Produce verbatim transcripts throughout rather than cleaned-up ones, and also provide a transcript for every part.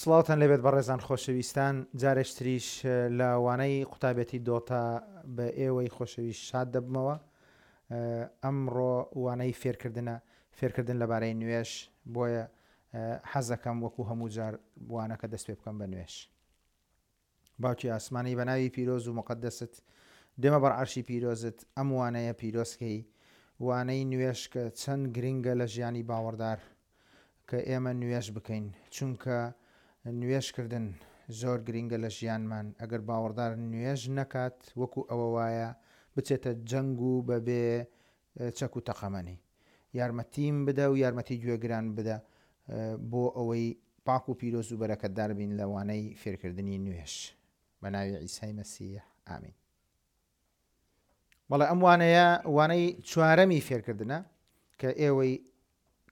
سڵاوتان لێبێت بەڕێزان خۆشەویستان، جارێکتریش لە وانەی قوتابێتی دۆتا بە ئێوەی خۆشەویست شاد دەبمەوە. ئەمڕۆ وانەی فێرکردنە، فێرکردن لەبارەی نوێژ، بۆیە حەزەکەم وەکو هەموو جار وانەکە دەست پێ بکەم بە نوێژ. باوکی ئاسمانی بە ناوی پیرۆز و مقدست دێمە بەر عەرشی پیرۆزت، ئەم وانەیە پیرۆزکەی، وانەی نوێژ کە چەند گرنگە لە ژیانی باوەڕدار کە ئێمە نوێژ بکەین، چونکە نوێژکردن زۆر گرنگە لە ژیانمان. ئەگەر باوەڕدار نوێژ نەکات وەکو ئەوە وایە بچێتە جەنگ و بەبێ چەک و تەقەمەنی. یارمەتیم بدە و یارمەتی گوێگران بدە بۆ ئەوەی پاک و پیرۆز و بەرەکەتدار بین لە وانەی فێرکردنی نوێژ. بە ناوی عیسای مەسیح ئامین. بەڵێ ئەم وانەیە وانەی چوارەمی فێرکردنە کە ئێوەی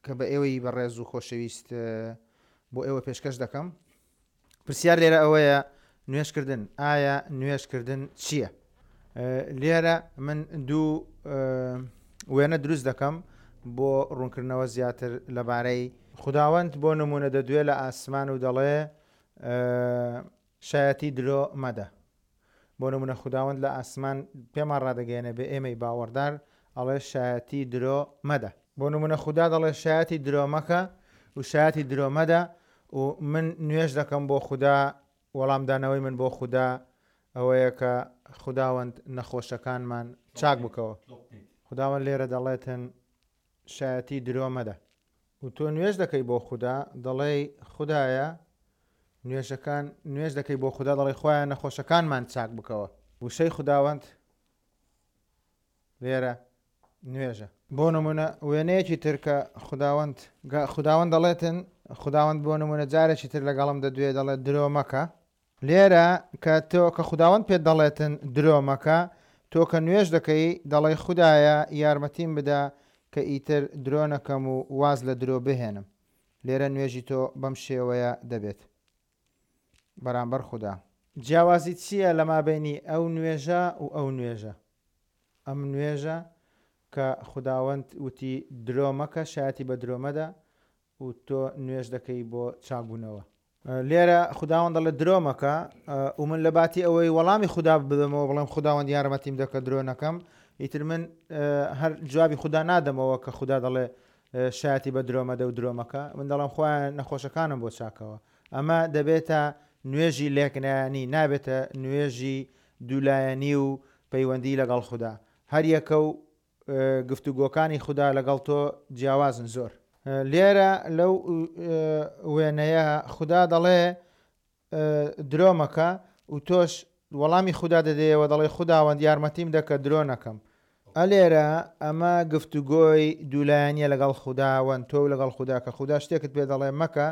کە بە ئێوەی بەڕێز و خۆشەویست بۆ ئێوە پێشکەش دەکەم. پرسیار لێرە ئەوەیە نوێژکردن، ئایا نوێژکردن چییە؟ لێرە من دوو وێنە دروست دەکەم بۆ ڕوونکردنەوە زیاتر لەبارەی خوداوەند. بۆ نمونە دەدوێ لە ئاسمان و دەڵێ شایەتی درۆ مەدە. بۆ نمونە خوداوەند لە ئاسمان پێمان ڕادەگەیەنێ بە ئێمەی باوەڕدار ئەڵێ شایەتی درۆ مەدە. بۆ نمونە خودا دەڵێ شایەتی درۆ مەکە و شایەتی درۆ مەدە و من نوێژ دەکەم بۆ خودا، وەڵامدانەوەی من بۆ خودا ئەوەیە کە خوداوەند نەخۆشەکانمان چاک بکەوە. خوداوەند لێرە دەڵێتن شایەتی درۆ مەدە و تۆ نوێژ دەکەی بۆ خودا، دەڵێی خودایە نوێژەکان نوێژ دەکەی بۆ خودا، دەڵێی خۆیان نەخۆشەکانمان چاک بکەوە. وشەی خوداوەند لێرە نوێژە. بۆ نمونە وێنەیەکی تر کە خوداوەند خوداوەند دەڵێتن، خوداوەند بۆ نمونە جارێکی تر لەگەڵم دەدوێ دەڵێت درۆ مەکە. لێرە کە تۆ کە خوداوەند پێت دەڵێتن درۆ مەکە، تۆ کە نوێژ دەکەی دەڵێی خودایە یارمەتیم بدە کە ئیتر درۆ نەکەم و واز لە درۆ بهێنم. لێرە نوێژی تۆ بەم شێوەیە دەبێت بەرامبەر خودا. جیاوازی چییە لە مابینی ئەو نوێژە و ئەو نوێژە؟ ئەم نوێژە کە خوداوەند وتی درۆ مەکە، شایەتی بە درۆ مەدە و تۆ نوێژ دەکەی بۆ چاکبوونەوە. لێرە خوداوەند دەڵێ درۆ مەکە و من لە باتی ئەوەی وەڵامی خودا بدەمەوە بڵێم خوداوەند یارمەتیم دەکە درۆ نەکەم، ئیتر من هەر جوابی خودا نادەمەوە کە خودا دەڵێ شایەتی بە درۆ مەدە و درۆ مەکە، من دەڵێم خۆیان نەخۆشەکانم بۆ چاکەوە. ئەمە دەبێتە نوێژی لێکنایانی، نابێتە نوێژی دوولایەنی و پەیوەندی لەگەڵ خودا. هەر یەکە و گفتوگۆکانی خودا لەگەڵ تۆ جیاوازن زۆر. لێرە لەو وێنەیە خودا دەڵێ درۆ مەکە و تۆش وەڵامی خودا دەدەیەوە دەڵێ خوداوەند یارمەتیم دەکە درۆ نەکەم. ئەلێرە ئەمە گفتوگۆی دوولایەنیە لەگەڵ خوداوەند، تۆ لەگەڵ خودا کە خودا شتێکت پێ دەڵێ مەکە،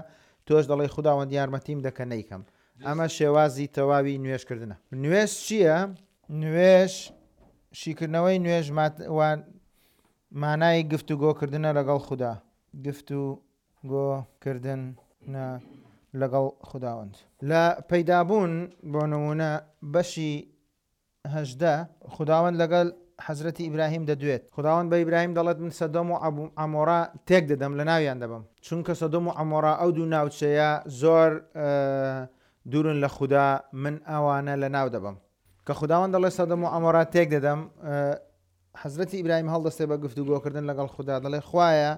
تۆش دەڵێ خوداوەند یارمەتیم دەکە نەیکەم. ئەمە شێوازی تەواوی نوێژکردنە. نوێژ چییە؟ نوێژ شیکردنەوەی نوێژ مانای گفتوگۆکردنە لەگەڵ خودا، گفتوگۆکردنە لەگەڵ خوداوەند. لە پەیدابوون بۆ نمونە بەشی هەژدە خوداوەند لەگەڵ حەزرەتی ئیبراهیم دەدوێت. خوداوەند بە ئیبراهیم دەڵێت من سەدۆم و عەمۆرا تێک دەدەم، لە ناویان دەبەم، چونکە سەدۆم و عەمۆرا ئەو دوو ناوچەیە زۆر دوورن لە خودا، من ئەوانە لە ناو دەبەم. کە خوداوەند دەڵێت سەدۆم و عەمۆرا تێک دەدەم، حەزرەتی ئیبراهیم هەڵدەستێ بە گفتوگۆکردن لەگەڵ خودا، دەڵێ خوایە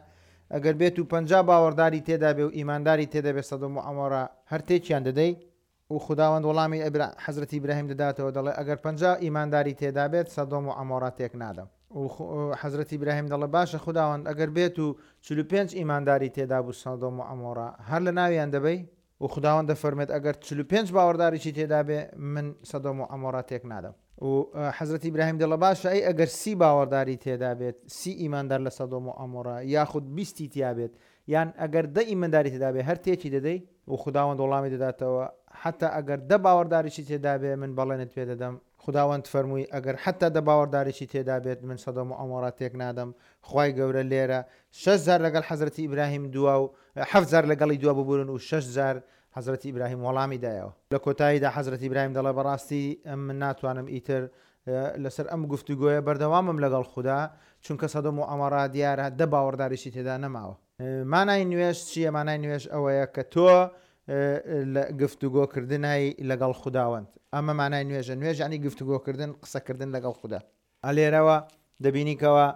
ئەگەر بێت و پەنجا باوەڕداری تێدا بێ و ئیمانداری تێدا بێ سەدۆم و عەمۆرا هەر تێکیان دەدەی؟ و خوداوەند وەڵامی حەزرەتی ئیبراهیم دەداتەوە دەڵێ ئەگەر پەنجا ئیمانداری تێدا بێت سەدۆم و عەمۆرا تێک نادەم. و حەزرەتی ئیبراهیم دەڵێ باشە خوداوەند ئەگەر بێت و چل و پێنج ئیمانداری تێدا بوو سەدۆم و عەمۆرا هەر لە ناویان دەبەی؟ و خوداوەند دەفەرمێت ئەگەر چل و پێنج باوەڕداریی تێدا بێ من سەدۆم و عەمۆرا تێک نادەم. و حەزرەتی ئیبراهیم دەڵێ باشە ئەی ئەگەر سی باوەڕداری تێدا بێت، سی ئیماندار لە سەدۆم و عەمۆرا یاخود بیستی تیا بێت، یان ئەگەر دە ئیمانداری تێدا بێ هەر تێکی دەدەی؟ و خوداوەند وەڵامی دەداتەوە حتا ئەگەر دە باوەڕداریی تێدا بێ من بەڵێنت پێ دەدەم. خوداوەند فەرمووی ئەگەر حتا دە باوەڕداریی تێدا بێت من سەدۆم و عەمۆرا تێک نادەم. خوای گەورە لێرە شەش جار لەگەڵ حەزرەتی ئیبراهیم دوا و حەفت جار لەگەڵی دوا ببورن و شەش جار حەزرەتی ئیبراهیم وەڵامی دایەوە. لە کۆتاییدا حەزرەتی ئیبراهیم دەڵێ بەڕاستی من ناتوانم ئیتر لەسەر ئەم گفتوگۆیە بەردەوامم لەگەڵ خودا، چونکە سەدۆم و عەمۆرا دیارە دە باوەڕداریی تێدا نەماوە. مانای نوێژ چییە؟ مانای نوێژ ئەوەیە کە تۆ لە گفتوگۆکردنای لەگەڵ خوداوەند. ئەمە مانای نوێژە. نوێژ یعنی گفتوگۆکردن، قسەکردن لەگەڵ خودا. لێرەوە دەبینیکەوە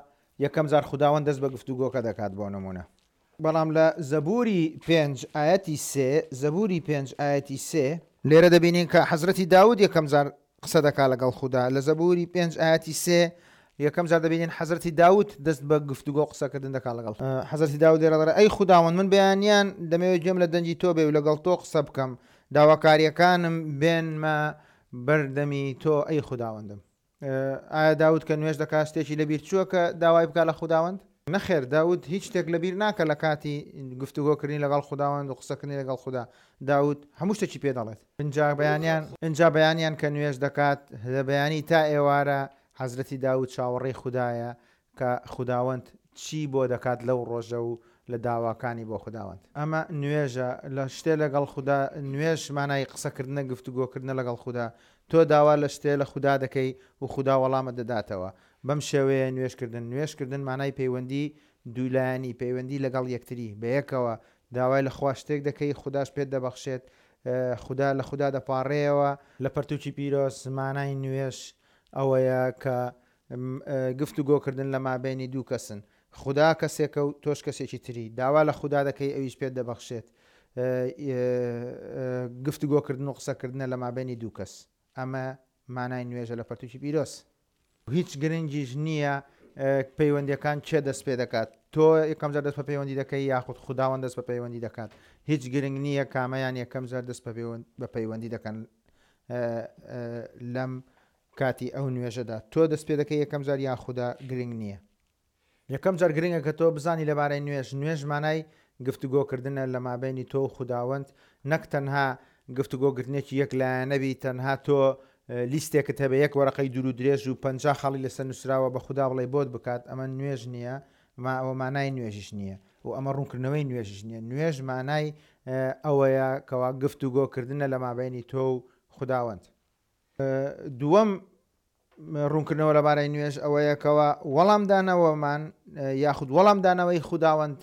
یەکەم جار خوداوەند دەست بە گفتوگۆکە دەکات بۆ نمونە. بەڵام لە زەبوری پێنج ئاەتی سێ، زەبوری پێنج ئاەتی سێ لێرە دەبینین کە حەزرەتی داود یەکەم جار قسە دەکات لەگەڵ خودا. لە زەبوری پێنج ئاەتی سێ یەکەم جار دەبینین حەزرەتی داود دەست بە گفتوگۆ قسەکردن دەکات لەگەڵ حەزرەتی داود. لێرە دەڵێ ئەی خوداوەند من بەیانیان دەمەوێت گوێم لە دەنگی تۆ بێ و لەگەڵ تۆ قسە بکەم، داواکاریەکانم بێنمە بەردەمی تۆ ئەی خوداوەندم. ئایا داود کە نوێژ دەکات شتێکی لەبیر چووە کە داوای بکات لە خوداوەند؟ نەخێر، داود هیچ شتێک لەبیر ناکە لە کاتی گفتوگۆکردنی لەگەڵ خوداوەند و قسەکردنی لەگەڵ خودا. داود هەموو شتێکی پێ دەڵێت. ئینجا بەیانیان ئینجا بەیانیان کە نوێژ دەکات لە بەیانی تا ئێوارە حەزرەتی داود چاوەڕێی خودایە کە خوداوەند چی بۆ دەکات لەو ڕۆژە و لە داواکانی بۆ خوداوەند. ئەمە نوێژە لە شتێ لەگەڵ خودا. نوێژ مانای قسەکردنە، گفتوگۆکردنە لەگەڵ خودا. تۆ داوا لە شتێ لە خودا دەکەی و خودا وەڵامت دەداتەوە. بەم شێوەیە نوێژکردن. نوێژکردن مانای پەیوەندی دوولایەنی، پەیوەندی لەگەڵ یەکتری بەیەکەوە. داوای لە خوا شتێک دەکەی، خوداش پێت دەبەخشێت، خودا لە خودا دەپارڕێەوە. لە پەرتوکی پیرۆز مانای نوێژ ئەوەیە کە گفتوگۆکردن لە مابەینی دوو کەسن. خودا کەسێکە و تۆش کەسێکی تری. داوا لە خودا دەکەی ئەویش پێت دەبەخشێت. گفتوگۆکردن و قسەکردنە لە مابەینی دوو کەس. ئەمە مانای نوێژە لە پەرتوکی پیرۆز. هیچ گرنگیش نییە پەیوەندیەکان چێ دەست پێ دەکات. تۆ یەکەم جار دەست بە پەیوەندی دەکەی یاخود خوداوەند دەست بە پەیوەندی دەکات. هیچ گرنگ نییە کامەیان یەکەم جار دەست بە پەیوەندی دەکەن لەم کاتی ئەو نوێژەدا. تۆ دەست پێ دەکەی یەکەم جار یان خودا گرنگ نییە. یەکەم جار گرنگە کە تۆ بزانی لەبارەی نوێژ. نوێژ مانای گفتوگۆکردنە لە مابەینی تۆ و خوداوەند، نەک تەنها گفتوگۆکردنێکی یەک لایەنەبی، تەنها تۆ لیستێکت هەبێ یەک وەرەقەی دوور و درێژ و پەنجا خاڵی لەسەر نووسراوە بە خودا بڵێ بۆت بکات. ئەمە نوێژ نییە، ئەوە مانای نوێژیش نییە و ئەمە ڕوونکردنەوەی نوێژیش نییە. نوێژ مانای ئەوەیە کەوا گفتوگۆکردنە لە مابەینی تۆ و خوداوەند. دووەم ڕوونکردنەوە لەبارەی نوێژ ئەوەیە کەوا وەڵامدانەوەمان یاخود وەڵامدانەوەی خوداوەند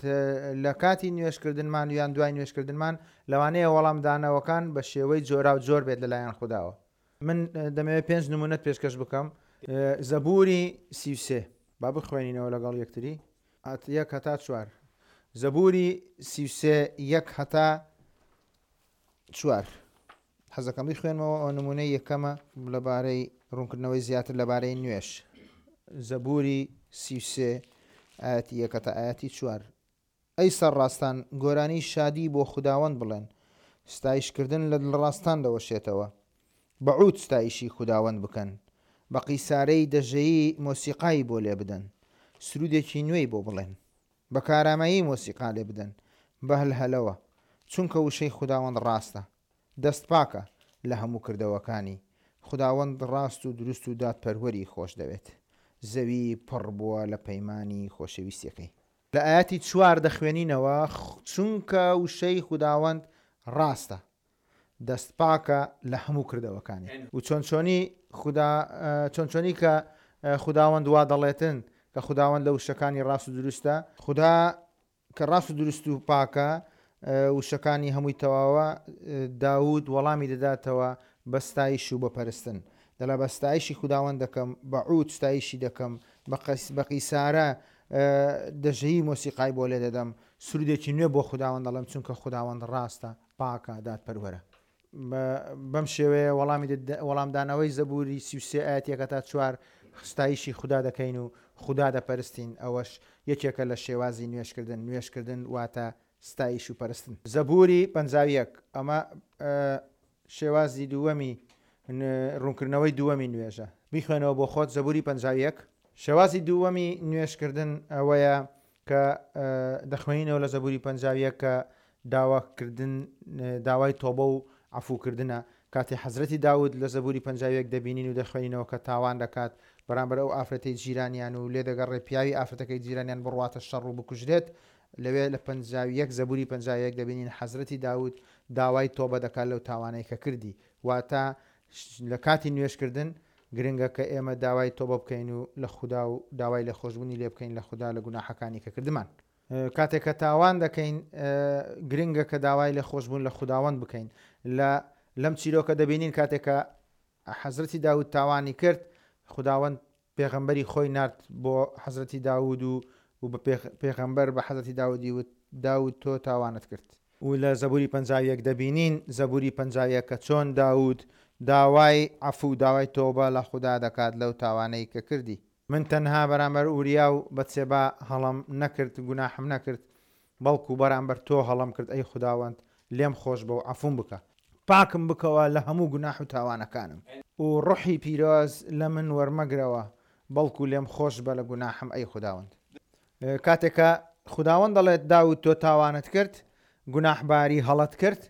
لە کاتی نوێژکردنمان یان دوای نوێژکردنمان لەوانەیە وەڵامدانەوەکان بە شێوەی جۆرا و جۆر بێت لەلایەن خوداوە. من دەمەوێت پێنج نمونەت پێشکەش بکەم. زەبوری سی و سێ با بخوێنینەوە لەگەڵ یەکتری، یەک هەتا چوار. زەبوری سی و سێ یەک هەتا چوار. حەزەکەم بیخوێنمەوە. ئەو نمونەی یەکەمە لەبارەی ڕوونکردنەوەی زیاتر لەبارەی نوێژ. زەبوری سی و سێ ئاەتی یەک هەتا ئاەتی چوار. ئەی سەرڕاستان گۆرانی شادی بۆ خوداوەند بڵێن، ستایشکردن لە دڵڕاستان دەوەشێتەوە. بە عود ستایشی خوداوەند بکەن، بە قیسارەی دەژەیی مۆسیقایی بۆ لێ بدەن، سرودێکی نوێی بۆ بڵێن، بە کارامەیی مۆسیقا لێ بدەن، بە هەلهەلەوە، چونکە وشەی خوداوەند ڕاستە، دەست پاکە لە هەموو کردەوەکانی. خوداوەند ڕاست و دروست و دادپەروەری خۆش دەوێت، زەوی پڕ بووە لە پەیمانی خۆشەویستیەکەی. لە ئاەتی چوار دەخوێنینەوە چونکە وشەی خوداوەند ڕاستە، دەست پاکە لە هەموو کردەوەکانی. و چۆن چۆنی خودا چۆن چۆنی کە خوداوەند وا دەڵێتن کە خوداوەند لە وشەکانی ڕاست و دروستە، خودا کە ڕاست و دروست و پاکە وشەکانی هەمووی تەواوە، داود وەڵامی دەداتەوە بە ستایش و بە پەرستن. دەڵێ بە ستایشی خوداوەند دەکەم، بە عود ستایشی دەکەم، بە قیسارە دەژەیی مۆسیقای بۆ لێ دەدەم، سرودێکی نوێ بۆ خوداوەند دەڵێم، چونکە خوداوەند ڕاستە، پاکە، دادپەروەرە. بەم شێوەیە وەڵامی وەڵامدانەوەی زەبوری سی و سێ ئاەت یەک هەتا چوار ستایشی خودا دەکەین و خودا دەپەرستین. ئەوەش یەکێکە لە شێوازی نوێژکردن. نوێژکردن واتە ستایش و پەرستن. زەبوری پەنجا و یەک ئەمە شێوازی دووەمی ڕوونکردنەوەی دووەمی نوێژە. بیخوێنەوە بۆ خۆت زەبوری پەنجا و یەک. شێوازی دووەمی نوێژکردن ئەوەیە کە دەخوێنینەوە لە زەبوری پەنجا و یەک کە داواکردن داوای تۆبە و عەفوکردنە. کاتێ حەزرەتی داود لە زەبوری پەنجا و یەک دەبینین و دەخوێنینەوە کە تاوان دەکات بەرامبەر ئەو ئافرەتەی جیرانیان و لێ دەگەڕێ پیاوی ئافرەتەکەی جیرانیان بڕواتە شەڕ و بکوژرێت. لەوێ لە پەنجا و یەک زەبوری پەنجا و یەک دەبینین حەزرەتی داود داوای تۆبە دەکات لەو تاوانەی کە کردی. واتە لە کاتی نوێژکردن گرنگە کە ئێمە داوای تۆبە بکەین و لە خودا و داوای لێخۆشبوونی لێ بکەین لە خودا لە گوناحەکانی کە کردمان. کاتێک کە تاوان دەکەین گرنگە کە داوای لە خۆشبوون لە خوداوەند بکەین. لە لەم چیرۆکە دەبینین کاتێک کە حەزرەتی داود تاوانی کرد، خوداوەند پێغەمبەری خۆی نارد بۆ حەزرەتی داود و و بە پێغەمبەر بە حەزرەتی داودی وت داود تۆ تاوانت کرد. و لە زەبوری پەنجا و یەک دەبینین زەبوری پەنجا و یەک کە چۆن داود داوای عەفو و داوای تۆبە لە خودا دەکات لەو تاوانەی کە کردی. من تەنها بەرامبەر ئوریا و بەتسێبا هەڵەم نەکرد، گوناحم نەکرد، بەڵکو بەرامبەر تۆ هەڵەم کرد، ئەی خوداوەند لێم خۆش بە و عەفوم بکە. پاکم بکەوە لە هەموو گوناح و تاوانەکانم. و ڕۆحی پیرۆز لە من وەرمەگرەوە، بەڵکو لێم خۆش بە لە گوناحم ئەی خوداوەند. کاتێک کە خوداوەند دەڵێت داود تۆ تاوانت کرد، گوناحباری هەڵەت کرد،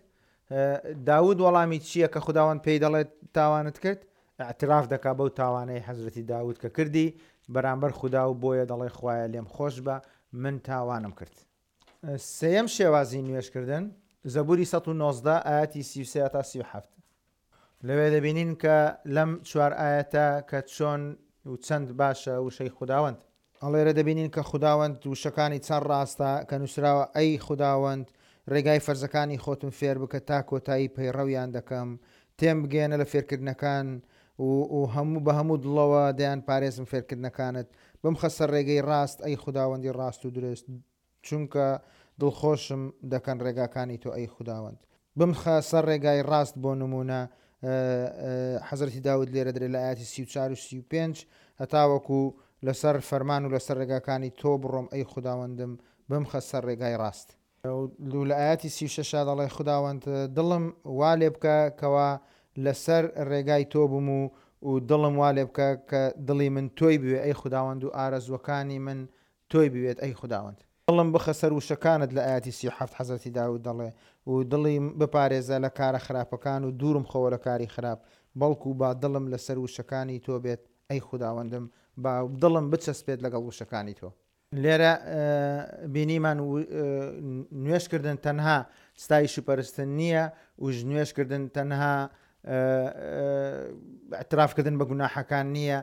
داود وەڵامی چییە کە خوداوەند پێی دەڵێت تاوانت کرد؟ اعتراف دەکا بەو تاوانەی حەزرەتی داود کە کردی بەرامبەر خودا و بۆیە دەڵێ خوایە لێم خۆش بە من تاوانم کرد. سێیەم شێوازی نوێژکردن زەبوری سەد و نۆزدە ئاەتی سی و سێ تا سی و حەفت. لەوێ دەبینین کە لەم چوار ئاەتە کە چۆن و چەند باشە وشەی خوداوەند. ئەڵێرە دەبینین کە خوداوەند وشەکانی چەند ڕاستە کە نووسراوە ئەی خوداوەند ڕێگای فەرزەکانی خۆتم فێر بکە تا کۆتایی پەیڕەویان دەکەم، تێم بگەیەنە لە فێرکردنەکان و هەموو بە هەموو دڵەوە دەیان پارێزم فێرکردنەکانت، بمخە سەر ڕێگەی ڕاست ئەی خوداوەندی ڕاست و درست، چونکە دڵخۆشم دەکەن ڕێگاکانی تۆ ئەی خوداوەند. بمخە سەر ڕێگای ڕاست بۆ نمونە حەزرەتی داود لێرە درێ لە ئاەتی سی و چوار و سی و پێنج هەتاوەکو لەسەر فەرمان و لەسەر ڕێگاکانی تۆ بڕۆم ئەی خوداوەندم بمخە سەر ڕێگای ڕاست. لە ئاەتی سی و شەشا دەڵێ خوداوەند دڵم وا لێ بکە کەوا لەسەر ڕێگای تۆ بووم و و دڵم وا لێ بکە کە دڵی من تۆی بوێ ئەی خوداوەند و ئارەزوەکانی من تۆی بوێت ئەی خوداوەند. دڵم بخە سەر وشەکانت لە ئاەتی سی و حەفت حەزرەتی داود دەڵێ و دڵی بپارێزە لە کارە خراپەکان و دوورم خەوە لە کاری خراپ، بەڵکو با دڵم لەسەر وشەکانی تۆ بێت ئەی خوداوەندم، با دڵم بچەسپێت لەگەڵ وشەکانی تۆ. لێرە بینیمان نوێژکردن تەنها ستایش و پەرستن نییە و نوێژکردن تەنها اعترافکردن بە گوناحەکان نییە،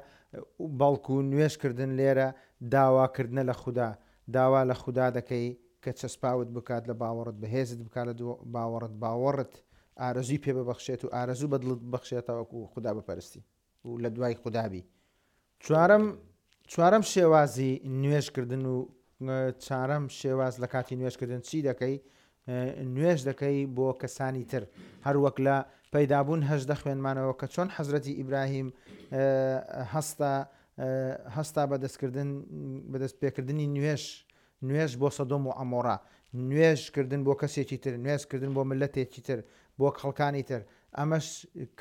بەڵکو نوێژکردن لێرە داواکردنە لە خودا. داوا لە خودا دەکەی کە چەسپاوت بکات لە باوەڕت، بەهێزت بکات لە باوەڕت، باوەڕت ئارەزووی پێ ببەخشێت و ئارەزوو بەدڵت ببەخشێتەوەکو خودا بپەرستی و لە دوای خودا بی. چوارەم چوارەم شێوازی نوێژکردن و چوارەم شێواز لە کاتی نوێژکردن چی دەکەی؟ نوێژ دەکەی بۆ کەسانی تر. هەروەک لە پەیدابوون هەژدە خوێنمانەوە کە چۆن حەزرەتی ئیبراهیم هەستا هەستا بەدەستکردن بەدەست پێکردنی نوێژ، نوێژ بۆ سەدۆم و عەمۆرا، نوێژکردن بۆ کەسێکی تر، نوێژکردن بۆ ملەتێکی تر، بۆ خەڵکانی تر. ئەمەش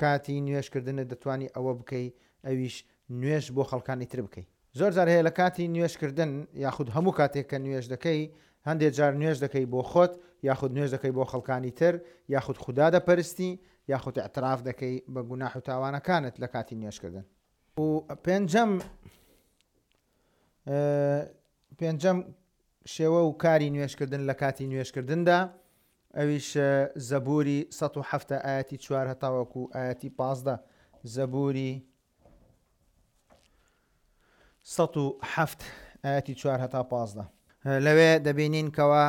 کاتی نوێژکردنت دەتوانی ئەوە بکەی، ئەویش نوێژ بۆ خەڵکانی تر بکەی. زۆر جار هەیە لە کاتی نوێژکردن یاخود هەموو کاتێک کە نوێژ دەکەی، هەندێک جار نوێژ دەکەی بۆ خۆت یاخود نوێژ دەکەی بۆ خەڵکانی تر، یاخود خودا دەپەرستی، یاخود اعتراف دەکەی بە گوناح و تاوانەکانت لە کاتی نوێژکردن. و پێنجەم پێنجەم شێوە و کاری نوێژکردن لە کاتی نوێژکردندا ئەویش زەبوری سەد و حەفت ئاەتی چوار هەتاوەکو ئاەتی پازدە. زەبوری سەد و حەفت ئاەتی چوار هەتا پازدە. لەوێ دەبینین کەوا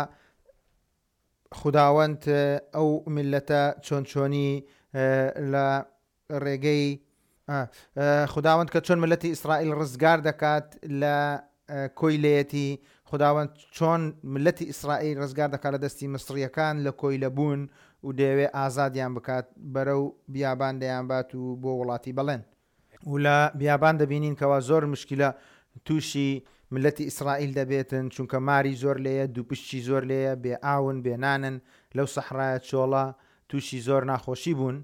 خوداوەند ئەو میلەتە چۆن چۆنی لە ڕێگەی خوداوەند کە چۆن ملەتی ئیسرائیل ڕزگار دەکات لە کۆیلەیەتی، خوداوەند چۆن ملەتی ئیسرائیل ڕزگار دەکات لە دەستی میسریەکان لە کۆیلە بوون و دەیەوێ ئازادیان بکات، بەرەو بیابان دەیانبات و بۆ وڵاتی بەڵێن. و لە بیابان دەبینین کەوا زۆر مشکلە تووشی ملەتی ئیسرائیل دەبێتن، چونکە ماری زۆر لێیە، دووپشتی زۆر لێیە، بێ ئاون، بێ نانن، لەو سەحرایە چۆڵە تووشی زۆر ناخۆشی بوون.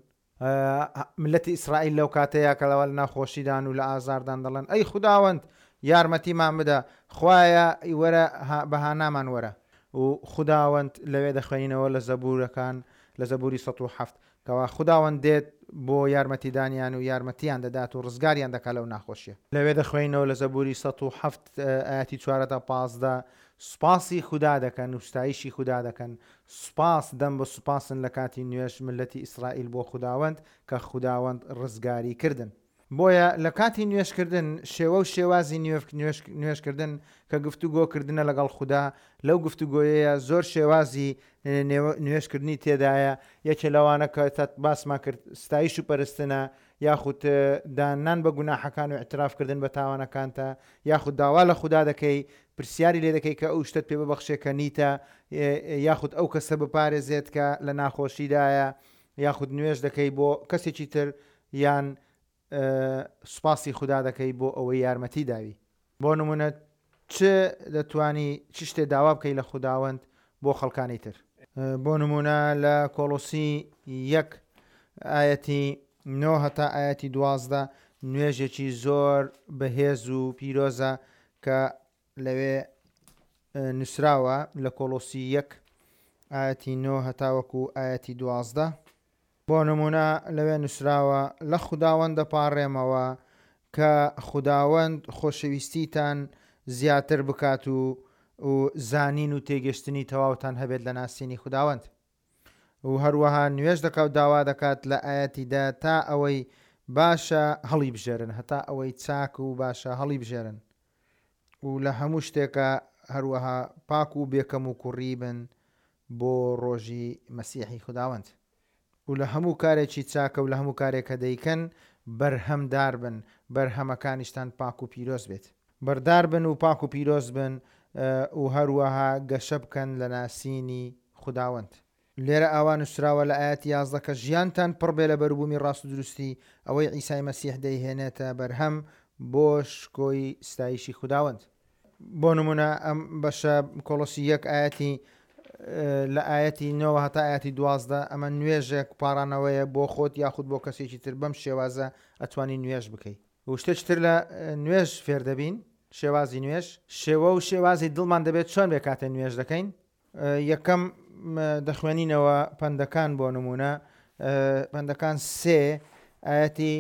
ملەتی ئیسرائیل لەو کاتەیە کە لەوە لە ناخۆشیدان و لە ئازاردان دەڵێن ئەی خوداوەند یارمەتیمان بدە، خوایە وەرە بەهانامان وەرە. و خوداوەند لەوێ دەخوێنینەوە لە زەبورەکان لە زەبوری سەد و حەفت کەوا خوداوەند دێت بۆ یارمەتیدانیان و یارمەتیان دەدات و ڕزگاریان دەکات لەو ناخۆشیە. لەوێ دەخوێنینەوە لە زەبوری سەد و حەفت ئاەتی چوار تا پازدە سوپاسی خودا دەکەن و ستایشی خودا دەکەن. سوپاس دەم بە سوپاسن لە کاتی نوێژ ملەتی ئیسرائیل بۆ خوداوەند کە خوداوەند ڕزگاری کردن. بۆیە لە کاتی نوێژکردن شێوە و شێوازی نوێژکردن کە گفتوگۆکردنە لەگەڵ خودا، لەو گفتوگۆیەیە زۆر شێوازی نوێژکردنی تێدایە. یەکێ لەوانە کە باسمان کرد ستایش و پەرستنە، یاخود دانان بە گوناحەکان و اعترافکردن بە تاوانەکانتە، یاخود داوا لە خودا دەکەی، پرسیاری لێ دەکەی کە ئەو شتت پێ ببەخشێ کە نیتە، یاخود ئەو کەسە بپارێزێت کە لە ناخۆشیدایە، یاخود نوێژ دەکەی بۆ کەسێکی تر، یان سوپاسی خودا دەکەی بۆ ئەوەی یارمەتی داوی. بۆ نمونە چ دەتوانی چ شتێ داوا بکەی لە خوداوەند بۆ خەڵکانی تر؟ بۆ نمونە لە کۆڵۆسی یەک ئایەتی نۆ هەتا ئایەتی دوازدە نوێژێکی زۆر بەهێز و پیرۆزە کە لەوێ نووسراوە لە کۆڵۆسی یەک ئایەتی نۆ هەتاوەکو ئایەتی دوازدە. بۆ نمونە لەوێ نووسراوە لە خوداوەند دەپاڕێمەوە کە خوداوەند خۆشەویستیتان زیاتر بکات و و زانین و تێگەشتنی تەواوتان هەبێت لە ناسینی خوداوەند. و هەروەها نوێژ دەکات و داوا دەکات لە ئایەتیدا تا ئەوەی باشە هەڵی بژێرن، هەتا ئەوەی چاک و باشە هەڵی بژێرن، و لە هەموو شتێکە هەروەها پاک و بێکەم و کوڕی بن بۆ ڕۆژی مەسیحی خوداوەند. و لە هەموو کارێکی چاکە و لە هەموو کارێکە دەیکەن بەرهەمدار بن، بەرهەمەکانیشتان پاک و پیرۆز بێت. بەردار بن و پاک و پیرۆز بن و هەروەها گەشە بکەن لە ناسینی خوداوەند. لێرە ئاوا نووسراوە لە ئایەتی یازدە کە ژیانتان پڕ بێ لە بەروبوومی ڕاست و دروستی، ئەوەی عیسای مەسیح دەیهێنێتە بەرهەم بۆ شکۆی ستایشی خوداوەند. بۆ نمونە ئەم بەشە کۆڵۆسی یەک ئایەتی لە ئایەتی نۆوە هەتا ئایەتی دوازدە ئەمە نوێژێک پاڕانەوەیە بۆ خۆت یاخود بۆ کەسێکی تر. بەم شێوازە ئەتوانی نوێژ بکەی. و شتێکی تر لە نوێژ فێر دەبین، شێوازی نوێژ، شێوە و شێوازی دڵمان دەبێت چۆن بێ کاتێ نوێژ دەکەین. یەکەم دەخوێنینەوە پەندەکان، بۆ نمونە پەندەکان سێ ئایەتی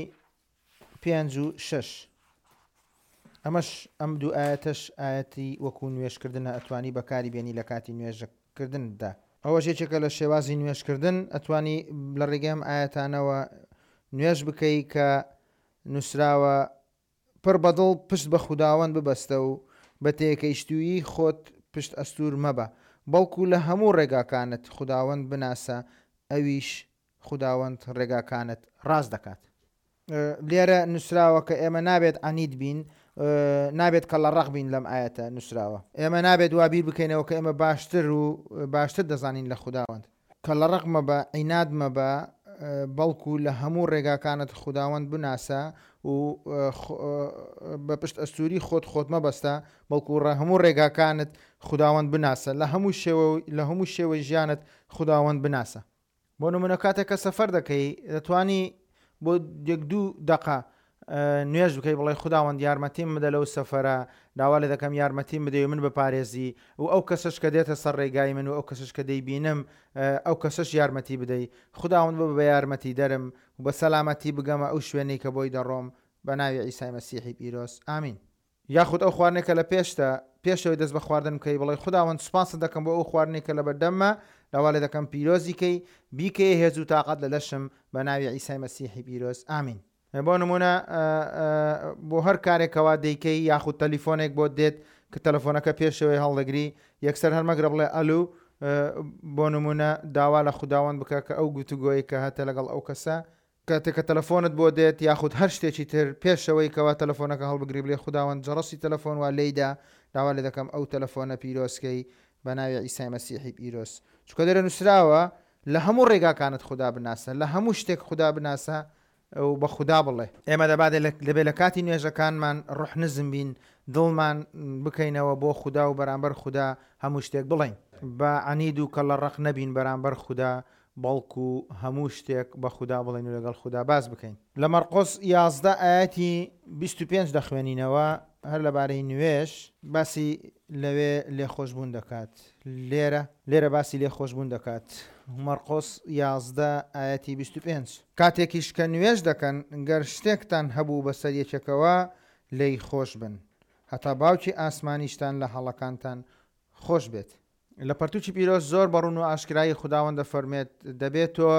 پێنج و شەش. ئەمەش ئەم دوو ئایەتەش ئایەتی وەکو نوێژکردنە، ئەتوانی بەکاری بێنی لە کاتی نوێژکردندا. ئەوەش یەکێکە لە شێوازی نوێژکردن، ئەتوانی لە ڕێگەی ئەم ئایەتانەوە نوێژ بکەی کە نووسراوە پڕ بەدڵ پشت بە خوداوەند ببەستە و بە تێکەیشتوویی خۆت پشت ئەستوور مەبە، بەڵکو لە هەموو ڕێگاکانت خوداوەند بناسە، ئەویش خوداوەند ڕێگاکانت ڕاست دەکات. لێرە نووسراوە کە ئێمە نابێت عەنید بین، نابێت کە لە ڕەق بین. لەم ئایەتە نووسراوە ئێمە نابێت وا بیر بکەینەوە کە ئێمە باشتر و باشتر دەزانین لە خوداوەند. کە لە ڕەق مەبە، عیناد مەبە، بەڵکو لە هەموو ڕێگاکانت خوداوەند بناسە و بە پشت ئەستووری خۆت خۆت مەبەستە، بەڵکو هەموو ڕێگاکانت خوداوەند بناسە، لە هەموو شێوە لە هەموو شێوەی ژیانت خوداوەند بناسە. بۆ نمونە کاتێک کە سەفەر دەکەی دەتوانی بۆ یەک دوو دەقە نوێژ بکەی، بڵێ خوداوەند یارمەتیم بدە لەو سەفەرە، داوا لێ دەکەم یارمەتیم بدەی و من بپارێزی، و ئەو کەسەش کە دێتە سەر ڕێگای من و ئەو کەسەش کە دەیبینم ئەو کەسەش یارمەتی بدەی. خوداوەند ببە بە یارمەتی دەرم و بە سەلامەتی بگەمە ئەو شوێنەی کە بۆی دەڕۆم، بە ناوی عیسای مەسیحی پیرۆز، ئامین. یاخود ئەو خواردنێک کە لە پێشتە، پێشەوەی دەست بە خواردن بکەی بڵێ خوداوەند سوپاست دەکەم بۆ ئەو خواردنێک کە لە بەردەممە، داوا لێ دەکەم پیرۆزی کەی، بیکەی هێز و تاقەت لە لەشم، بە ناوی عیسای مەسیحی پیرۆز، ئامین. بۆ نمونە بۆ هەر کارێکەوە دەیکەی یاخود تەلیفۆنێک بۆ دێت کە تەلەفۆنەکە پێشەوەی هەڵدەگری، یەکسەر هەرمەگرە بڵێ ئەلو. بۆ نمونە داوا لە خوداوەند بکە کە ئەو گفتوگۆیە کە هەتە لەگەڵ ئەو کەسە، کاتێک کە تەلەفۆنت بۆ دێت یاخود هەر شتێکی تر پێشەوەی کەوا تەلەفۆنەکە هەڵبگری بڵێ خوداوەند جەڕەسی تەلەفۆن وا لێیدا، داوا لێ دەکەم ئەو تەلەفۆنە پیرۆزکەی بە ناوی عیسای مەسیحی پیرۆز. چونکە لێرە نووسراوە لە هەموو ڕێگاکانت خودا بناسە، لە هەموو شتێک خودا بناسە و بە خودا بڵێ. ئێمە دەبادێ لەبێ لە کاتی نوێژەکانمان ڕۆح نزم بین، دڵمان بکەینەوە بۆ خودا و بەرامبەر خودا هەموو شتێک بڵێین. بە عەنید و کە لە ڕەق نەبین بەرامبەر خودا، بەڵکو هەموو شتێک بە خودا بڵێن و لەگەڵ خودا باس بکەین. لە مەرقۆس یازدە ئایەتی بیست و پێنج دەخوێنینەوە، هەر لەبارەی نوێژ باسی لەوێ لێخۆشبوون دەکات. لێرە لێرە باسی لێخۆشبوون دەکات. مەرقۆس یازدە ئایەتی بیست و پێنج. کاتێکیش کە نوێژ دەکەن گەر شتێکتان هەبوو بەسەر یەکێکەوە لێی خۆش بن، هەتا باوکی ئاسمانیشتان لە هەڵەکانتان خۆش بێت. لە پەرتوکی پیرۆز زۆر بەڕوون و ئاشکرایی خوداوەند دەفەرمێت دەبێت تۆ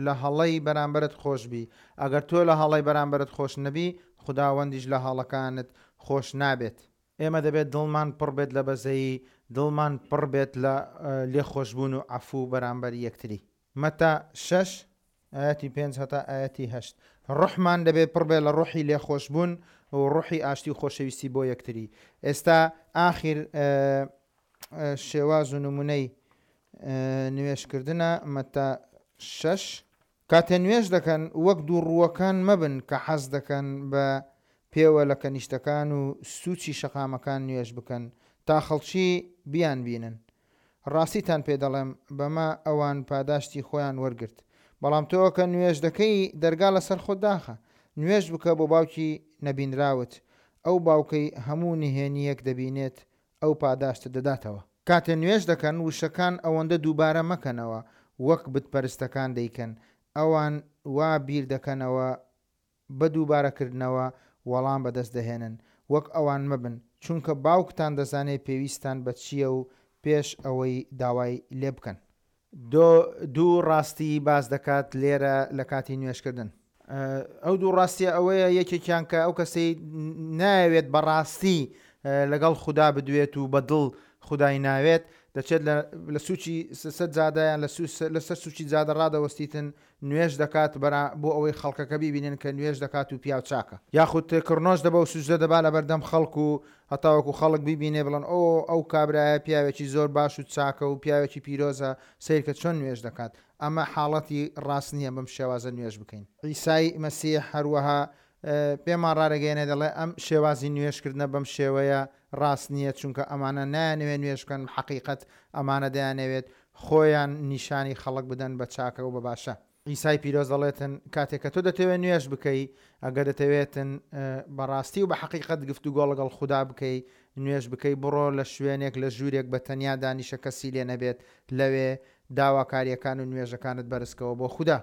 لە هەڵەی بەرامبەرت خۆش بی. ئەگەر تۆ لە هەڵەی بەرامبەرت خۆش نەبی، خوداوەندیش لە هەڵەکانت خۆش نابێت. ئێمە دەبێت دڵمان پڕ بێت لە بەزەیی، دڵمان پڕ بێت لە لێخۆشبوون و عەفوو بەرامبەر یەکتری. مەتا شەش ئایەتی پێنج هەتا ئایەتی هەشت. ڕۆحمان دەبێت پڕ بێت لە ڕۆحی لێخۆشبوون و ڕۆحی ئاشتی و خۆشەویستی بۆ یەکتری. ئێستا ئاخیر شێواز و نمونەی نوێژکردنە مەتا شەش. کاتێ نوێژ دەکەن وەک دوو ڕووەکان مەبن کە حەز دەکەن بە پێوە لە کەنیشتەکان و سوچی شەقامەکان نوێژ بکەن تا خەڵکی بیان بینن. ڕاستیتان پێ دەڵێم بەمە ئەوان پاداشتی خۆیان وەرگرت. بەڵام تۆ کە نوێژ دەکەی دەرگا لەسەر خۆت داخە، نوێژ بکە بۆ باوکی نەبینراوت، ئەو باوکەی هەموو نهێنیەک دەبینێت ئەو پاداشتت دەداتەوە. کاتێ نوێژ دەکەن وشەکان ئەوەندە دووبارە مەکەنەوە وەک بتپەرستەکان دەیکەن، ئەوان وا بیر دەکەنەوە بە دووبارەکردنەوە وەڵام بەدەست دەهێنن. وەک ئەوان مەبن، چونکە باوکتان دەزانێت پێویستان بە چییە و پێش ئەوەی داوای لێ بکەن. دوو ڕاستی باس دەکات لێرە لە کاتی نوێژکردن. ئەو دوو ڕاستیە ئەوەیە یەکێکیان کە ئەو کەسەی ناوێت بەڕاستی لەگەڵ خودا بدوێت و بەدڵ خودای ناوێت، دەچێت لە سوچی سەر جادەیان لەسەر سوچی جادە ڕادەوەستیتن نوێژ دەکات بۆ ئەوەی خەڵکەکە بیبینن کە نوێژ دەکات و پیاو چاکە، یاخود کڕنۆش دەبە و سوجدە دەبا لە بەردەم خەڵک و هەتاوەکو خەڵک بیبینێ بڵێن ئۆ ئەو کابرایە پیاوێکی زۆر باش و چاکە و پیاوێکی پیرۆزە، سەیرکە چۆن نوێژ دەکات. ئەمە حاڵەتی ڕاست نییە بەم شێوازە نوێژ بکەین. عیسای مەسیح هەروەها پێمان ڕارەگەیەنێ دەڵێ ئەم شێوازی نوێژکردنە بەم شێوەیە ڕاست نییە، چونکە ئەمانە نایانەوێت نوێژ بکەن، حەقیقەت ئەمانە دەیانەوێت خۆیان نیشانی خەڵک بدەن بە چاکە و بە باشە. عیسای پیرۆز دەڵێتن کاتێک کە تۆ دەتەوێت نوێژ بکەی، ئەگەر دەتەوێتن بەڕاستی و بە حەقیقەت گفتوگۆ لەگەڵ خودا بکەی، نوێژ بکەی، بڕۆ لە شوێنێک لە ژوورێک بە تەنیا دانیشە کەسی لێ نەبێت، لەوێ داواکاریەکان و نوێژەکانت بەرزکەوە بۆ خودا.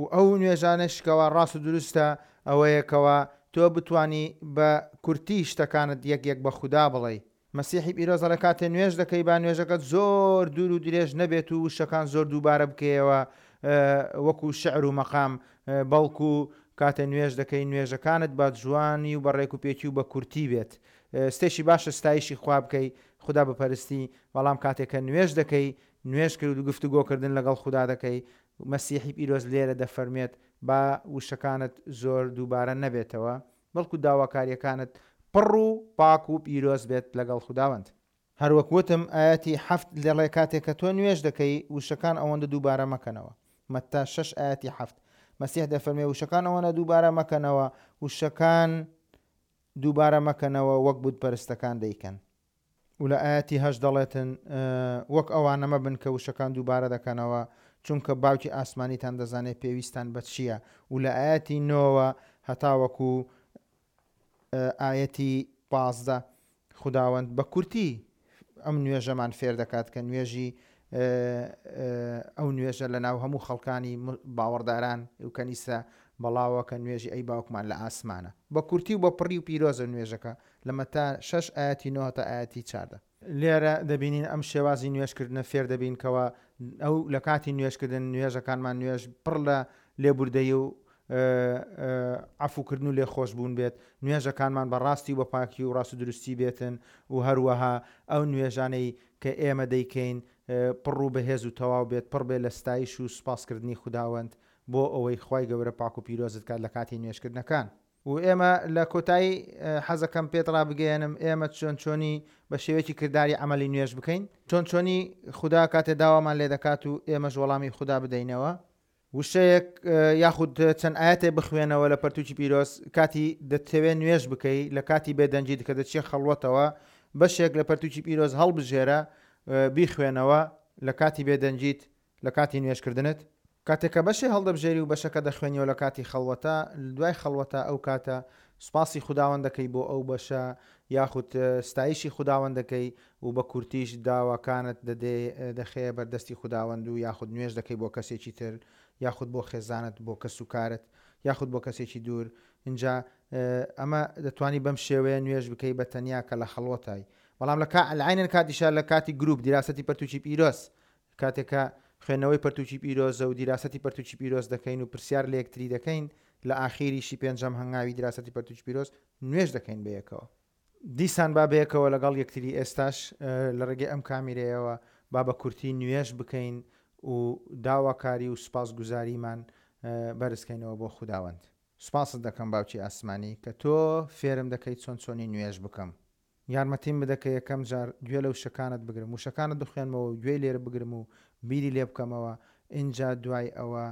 و ئەو نوێژانەش کەوا ڕاست و دروستە ئەوەیەکەوە تۆ بتانی بە کورتی شتەکانت یەک یەک بە خودا بڵێ. مەسیحی پیرۆز دەڵێ کاتێ نوێژ دەکەی با نوێژەکەت زۆر دوور و درێژ نەبێت و وشەکان زۆر دووبارە بکەیەوە وەکو شعر و مەقام، بەڵکو کاتێ نوێژ دەکەی نوێژەکانت بە جوانی و بە ڕێک و پێکی و بە کورتی بێت. ستێشی باشە ستایشی خوا بکەی، خودا بپەرستی، بەڵام کاتێک کە نوێژ دەکەی نوێژ کرد و گفتوگۆکردن لەگەڵ خودا دەکەی، مەسیحی پیرۆز لێرە دەفەرمێت با وشەکانت زۆر دووبارە نەبێتەوە، بەڵکو داواکاریەکانت پڕ و پاک و پیرۆز بێت لەگەڵ خوداوەند. هەروەک وتم ئاەتی حەفت دەڵێ کاتێک کە تۆ نوێژ دەکەی وشەکان ئەوەندە دووبارە مەکەنەوە. مەتا شەش ئاەتی حەفت مەسیح دەفەرمێ وشەکان ئەوەندە دووبارە مەکەنەوە، وشەکان دووبارە مەکەنەوە وەک بتپەرستەکان دەیکەن. و لە ئاەتی هەشت دەڵێتن وەک ئەوانە مەبن کە وشەکان دووبارە دەکەنەوە، چونکە باوکی ئاسمانیتان دەزانێت پێویستان بە چییە. و لە ئاەتی نۆوە هەتاوەکو ئاەتی پازدە خوداوەند بە کورتی ئەم نوێژەمان فێر دەکات کە نوێژی ئەو نوێژە لە ناو هەموو خەڵکانی باوەڕداران و کەنیسە بەڵاوە کە نوێژی ئەی باوکمان لە ئاسمانە. بە کورتی و بە پڕی و پیرۆزە نوێژەکە لە مەتا شەش ئاەتی نۆ تا ئاەتی چاردە. لێرە دەبینین ئەم شێوازی نوێژکردنە فێر دەبین کەەوە ئەو لە کاتی نوێژکردن نوێژەکانمان نوێژ پڕ لە لێبوردەیی و عەفوکردن و لێخۆشبوون بێت، نوێژەکانمان بە ڕاستی و بە پاکی و ڕاست و دروستی بێتن و هەروەها ئەو نوێژانەی کە ئێمە دەیکەین پڕ و بەهێز و تەواو بێت، پڕ بێت لە ستایش و سوپاسکردنی خوداوەند بۆ ئەوەی خوای گەورە پاک و پیرۆزت کات لە کاتی نوێژکردنەکان. و ئێمە لە کۆتایی حەزەکەم پێت ڕابگەیەنم ئێمە چۆن چۆنی بە شێوەیەکی کرداری عەمەلی نوێژ بکەین، چۆن چۆنی خودا کاتێ داوامان لێ دەکات و ئێمەش وەڵامی خودا بدەینەوە. وشەیەک یاخود چەند ئاەتێ بخوێنەوە لە پەرتوکی پیرۆز کاتی دەتەوێت نوێژ بکەی، لە کاتی بێدەنگی کە دەچێت خەڵوەتەوە بەشێک لە پەرتوکی پیرۆز هەڵبژێرە بیخوێنەوە لە کاتی بێدەنگیت لە کاتی نوێژکردنت. کاتێک کە بەشێ هەڵدەبژێری و بەشەکە دەخوێنیەوە لە کاتی خەڵوەتە، دوای خەڵوەتە ئەو کاتە سوپاسی خوداوەند دەکەی بۆ ئەو بەشە یاخود ستایشی خوداوەند دەکەی و بە کورتیش داواکانت دەخەیە بەردەستی خوداوەند و یاخود نوێژ دەکەی بۆ کەسێکی تر یاخود بۆ خێزانت بۆ کەس و کارت یاخود بۆ کەسێکی دوور. اینجا ئەمە دەتوانی بەم شێوەیە نوێژ بکەی بە تەنیا کە لە خەڵوەتای. بەڵام لە کا لە عەینەن کاتیشا لە کاتی گروپ دیراسەتی پەرتوکی پیرۆز کاتێک کە خوێندنەوەی پەرتوکی پیرۆزە و دیراسەتی پەرتوکی پیرۆز دەکەین و پرسیار لە یەکتری دەکەین لە ئاخیریشی پێنجەم هەنگاوی دیراسەتی پەرتوکی پیرۆز نوێژ دەکەین بەیەکەوە. دیسان با بەیەکەوە لەگەڵ یەکتری ئێستاش لە ڕێگەی ئەم کامیرەیەوە با بە کورتی نوێژ بکەین و داواکاری و سوپاسگوزاریمان بەرزکەینەوە بۆ خوداوەند. سوپاست دەکەم باوکی ئاسمانی کە تۆ فێرم دەکەیت چۆن چۆنی نوێژ بکەم. یارمەتیم بدە کە یەکەم جار گوێ لە وشەکانت بگرم، وشەکانت بخوێنمەوە و گوێی لێ بگرم و بیری لێ بکەمەوە، ئینجا دوای ئەوە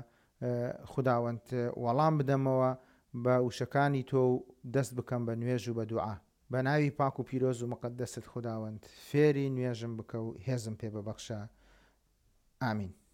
خوداوەند وەڵام بدەمەوە بە وشەکانی تۆ و دەست بکەم بە نوێژ و بە دوعا. بە ناوی پاک و پیرۆز و مقەدەست خوداوەند فێری نوێژم بکە و هێزم پێ ببەخشە. ئامین.